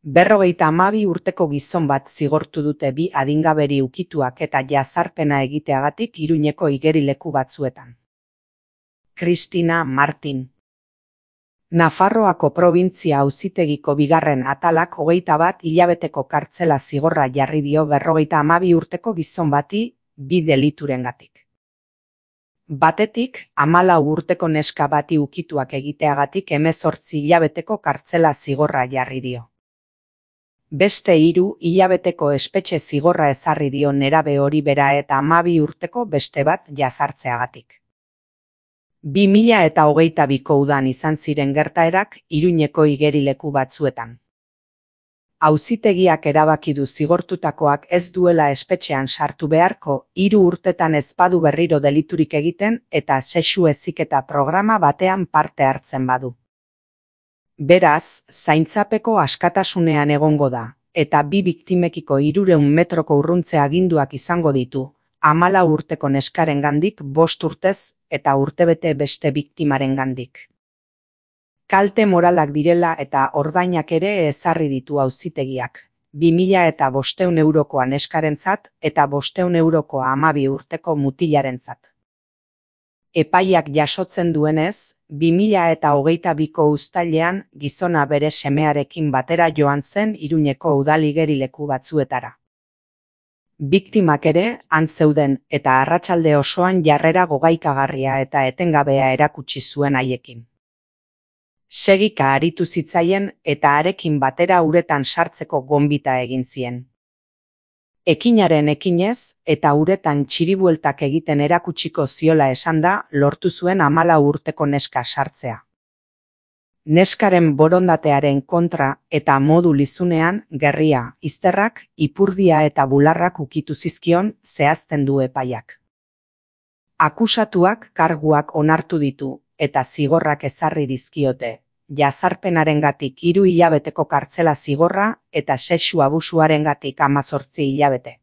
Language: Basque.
52 urteko gizon bat zigortu dute bi adingaberi ukituak eta jazarpena egiteagatik Iruñeko igerileku batzuetan. Cristina Martin. Nafarroako probintzia auzitegiko bigarren atalak 21 hilabeteko kartzela zigorra jarri dio 52 urteko gizon bati bi deliturengatik. Batetik, 14 urteko neska bati ukituak egiteagatik 18 hilabeteko kartzela zigorra jarri dio. Beste 3 hilabeteko espetxe zigorra ezarri dio nerabe hori bera eta 12 urteko beste bat jazartzeagatik. 2022ko udan izan ziren gertaerak Iruñeko igerileku batzuetan. Auzitegiak erabaki du zigortutakoak ez duela espetxean sartu beharko 3 urtetan ez badu berriro deliturik egiten eta sexu heziketa programa batean parte hartzen badu. Beraz, zaintzapeko askatasunean egongo da, eta bi biktimekiko 300 metroko urruntze aginduak izango ditu, 14 urteko neskarengandik 5 urtez eta urtebete beste biktimarengandik. Kalte moralak direla eta ordainak ere ezarri ditu auzitegiak, 2.500 eurokoa neskarentzat eta 500 eurokoa 12 urteko mutilarentzat. Epaiak jasotzen duenez, 2022ko uztailean gizona bere semearekin batera joan zen Iruñeko udal igerileku batzuetara. Biktimak ere han zeuden eta arratsalde osoan jarrera gogaikagarria eta etengabea erakutsi zuen haiekin. Segika aritu zitzaien eta harekin batera uretan sartzeko gonbita egin zien. Ekinaren ekinez eta uretan txiribueltak egiten erakutsiko ziola esanda lortu zuen 14 urteko neska sartzea. Neskaren borondatearen kontra eta modu lizunean gerria, izterrak, ipurdia eta bularrak ukitu zizkion zehazten du epaiak. Akusatuak karguak onartu ditu eta zigorrak ezarri dizkiote, jazarpenarengatik 3 hilabeteko kartzela zigorra eta sexu abusuarengatik 18 hilabete.